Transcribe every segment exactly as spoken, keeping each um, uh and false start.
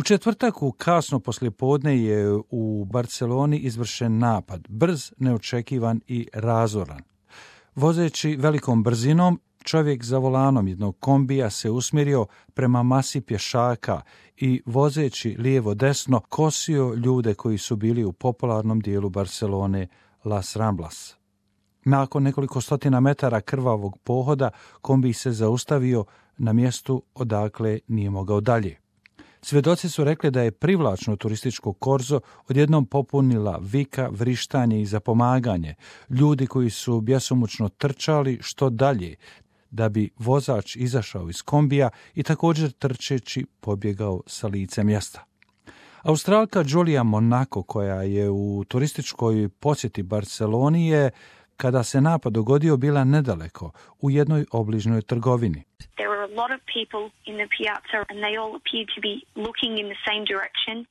četvrtak u kasno poslijepodne je u Barceloni izvršen napad, brz, neočekivan i razoran. Vozeći velikom brzinom, čovjek za volanom jednog kombija se usmjerio prema masi pješaka i vozeći lijevo-desno kosio ljude koji su bili u popularnom dijelu Barcelone Las Ramblas. Nakon nekoliko stotina metara krvavog pohoda, kombij se zaustavio na mjestu odakle nije mogao dalje. Svjedoci su rekli da je privlačno turističko korzo odjednom popunila vika, vrištanje i zapomaganje, ljudi koji su bjesomučno trčali što dalje, da bi vozač izašao iz kombija i također trčeći pobjegao sa lice mjesta. Australka Julia Monaco, koja je u turističkoj posjeti Barceloni, je, kada se napad dogodio, bila nedaleko, u jednoj obližnjoj trgovini. There were a lot of people in the piazza and they all appeared to be looking in the same direction.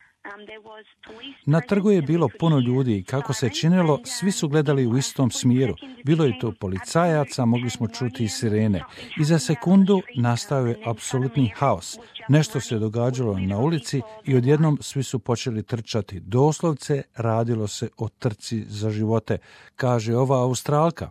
Na trgu je bilo puno ljudi i kako se činilo, svi su gledali u istom smjeru. Bilo je to policajaca, mogli smo čuti i sirene. I za sekundu nastao je apsolutni haos. Nešto se događalo na ulici i odjednom svi su počeli trčati. Doslovce radilo se o trci za živote, kaže ova Australka.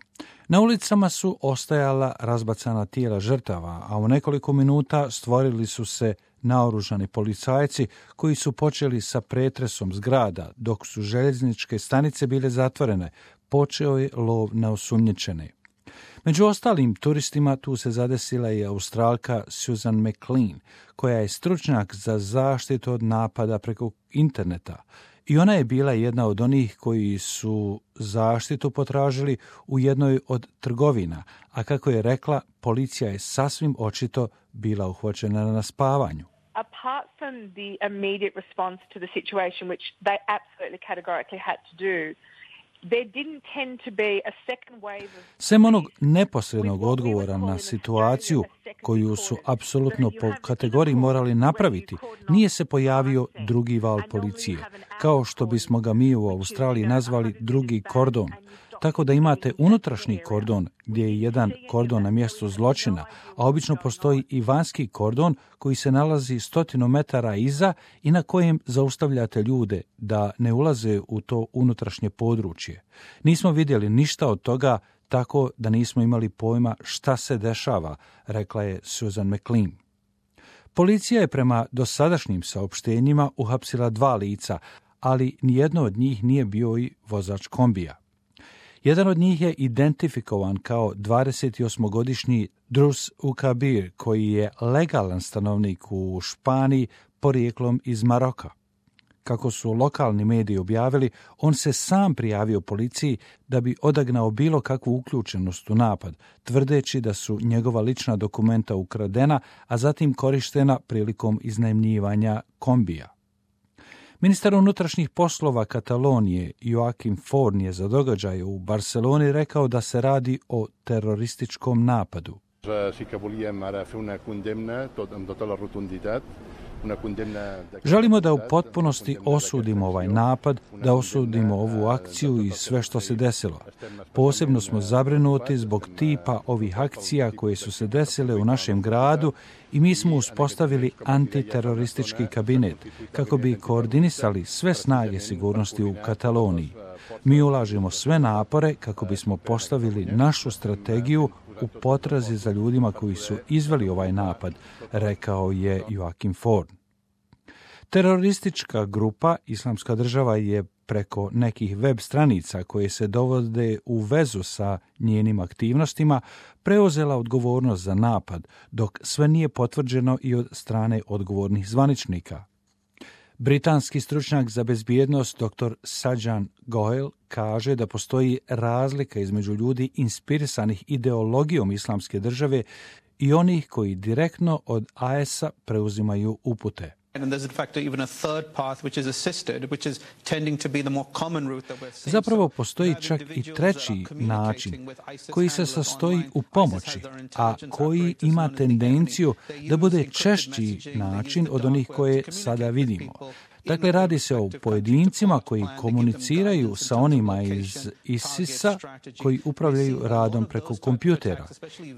Na ulicama su ostajala razbacana tijela žrtava, a u nekoliko minuta stvorili su se naoružani policajci koji su počeli sa pretresom zgrada, dok su željezničke stanice bile zatvorene. Počeo je lov na osumnjičene. Među ostalim turistima tu se zadesila i Australka Susan McLean, koja je stručnjak za zaštitu od napada preko interneta. I ona je bila jedna od onih koji su zaštitu potražili u jednoj od trgovina, a kako je rekla, policija je sasvim očito bila uhvaćena na spavanju. Apart from the immediate response to the situation, which they absolutely categorically had to do, there didn't tend to be a second wave of... Sem onog neposrednog odgovora na situaciju koju su apsolutno po kategoriji morali napraviti, nije se pojavio drugi val policije, kao što bismo ga mi u Australiji nazvali drugi kordon. Tako da imate unutrašnji kordon gdje je jedan kordon na mjestu zločina, a obično postoji i vanjski kordon koji se nalazi stotinu metara iza i na kojem zaustavljate ljude da ne ulaze u to unutrašnje područje. Nismo vidjeli ništa od toga, tako da nismo imali pojma šta se dešava, rekla je Susan McLean. Policija je prema dosadašnjim saopštenjima uhapsila dva lica, ali nijedno od njih nije bio i vozač kombija. Jedan od njih je identifikovan kao dvadesetosmogodišnji Drus Ukabir, koji je legalan stanovnik u Španiji porijeklom iz Maroka. Kako su lokalni mediji objavili, on se sam prijavio policiji da bi odagnao bilo kakvu uključenost u napad, tvrdeći da su njegova lična dokumenta ukradena, a zatim korištena prilikom iznajmljivanja kombija. Ministar unutrašnjih poslova Katalonije Joaquim Forn je za događaje u Barceloni rekao da se radi o terorističkom napadu. Želimo da u potpunosti osudimo ovaj napad, da osudimo ovu akciju i sve što se desilo. Posebno smo zabrinuti zbog tipa ovih akcija koje su se desile u našem gradu i mi smo uspostavili antiteroristički kabinet kako bi koordinisali sve snage sigurnosti u Kataloniji. Mi ulažemo sve napore kako bismo postavili našu strategiju u potrazi za ljudima koji su izveli ovaj napad, rekao je Joaquim Forn. Teroristička grupa Islamska država je preko nekih web stranica koje se dovode u vezu sa njenim aktivnostima preuzela odgovornost za napad, dok sve nije potvrđeno i od strane odgovornih zvaničnika. Britanski stručnjak za bezbjednost dr Sajan Goel kaže da postoji razlika između ljudi inspirisanih ideologijom Islamske države i onih koji direktno od I S A preuzimaju upute. Zapravo postoji čak i treći način koji se sastoji u pomoći, a koji ima tendenciju da bude češći način od onih koje sada vidimo. Dakle, radi se o pojedincima koji komuniciraju sa onima iz ISIS-a koji upravljaju radom preko kompjutera.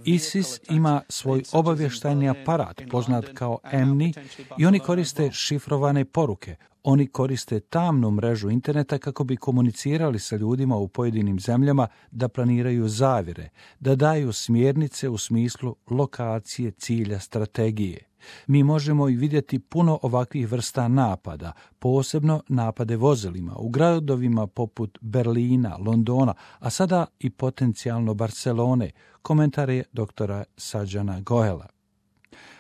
ISIS ima svoj obavještajni aparat, poznat kao E M N I, i oni koriste šifrovane poruke. Oni koriste tamnu mrežu interneta kako bi komunicirali sa ljudima u pojedinim zemljama da planiraju zavjere, da daju smjernice u smislu lokacije, cilja, strategije. Mi možemo i vidjeti puno ovakvih vrsta napada, posebno napade vozilima u gradovima poput Berlina, Londona, a sada i potencijalno Barcelone, komentar je doktora Sajjana Goela.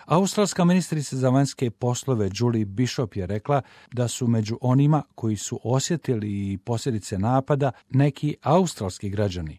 Australska ministrica za vanjske poslove Julie Bishop je rekla da su među onima koji su osjetili posljedice napada neki australski građani.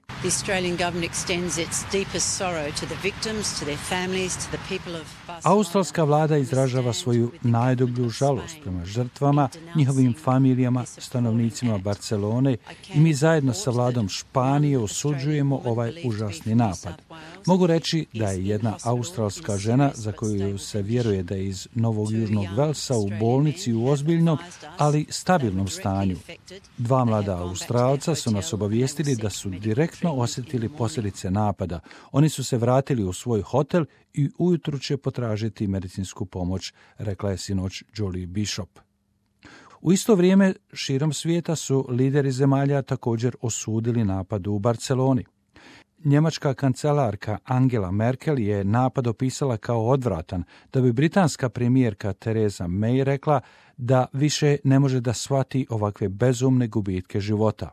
Australska vlada izražava svoju najdublju žalost prema žrtvama, njihovim familijama, stanovnicima Barcelone i mi zajedno sa vladom Španije osuđujemo ovaj užasni napad. Mogu reći da je jedna australska žena za koju se vjeruje da je iz Novog Južnog Velsa u bolnici u ozbiljnom, ali stabilnom stanju. Dva mlada Australca su nas obavijestili da su direktno osjetili posljedice napada. Oni su se vratili u svoj hotel i ujutru će potražiti medicinsku pomoć, rekla je sinoć Julie Bishop. U isto vrijeme širom svijeta su lideri zemalja također osudili napad u Barceloni. Njemačka kancelarka Angela Merkel je napad opisala kao odvratan, da bi britanska premijerka Theresa May rekla da više ne može da shvati ovakve bezumne gubitke života.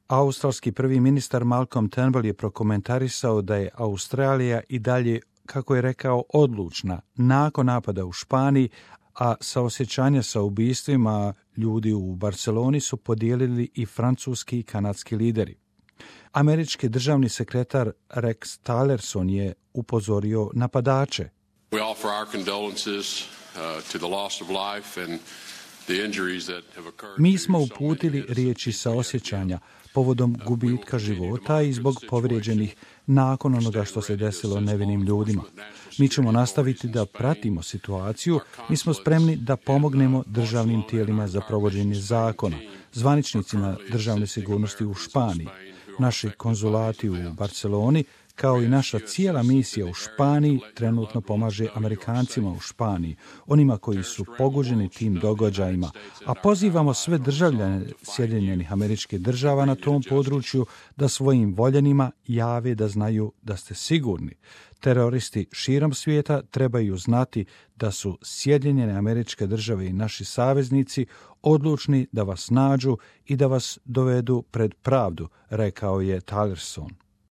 Australski prvi ministar Malcolm Turnbull je prokomentarisao da je Australija i dalje, kako je rekao, odlučna nakon napada u Španiji, a saosjećanja sa ubistvima ljudi u Barceloni su podijelili i francuski i kanadski lideri. Američki državni sekretar Rex Tillerson je upozorio napadače. We offer our condolences uh, to the loss of life and the injuries that have occurred. Mi smo uputili riječi saosjećanja povodom gubitka života i zbog povrijeđenih nakon onoga što se desilo nevinim ljudima. Mi ćemo nastaviti da pratimo situaciju, mi smo spremni da pomognemo državnim tijelima za provođenje zakona, zvaničnicima državne sigurnosti u Španiji, naši konzulati u Barceloni, kao i naša cijela misija u Španiji trenutno pomaže Amerikancima u Španiji, onima koji su pogođeni tim događajima, a pozivamo sve državljane Sjedinjenih Američkih Država na tom području da svojim voljenima jave da znaju da ste sigurni. Teroristi širom svijeta trebaju znati da su Sjedinjene Američke Države i naši saveznici odlučni da vas nađu i da vas dovedu pred pravdu, rekao je Tillerson.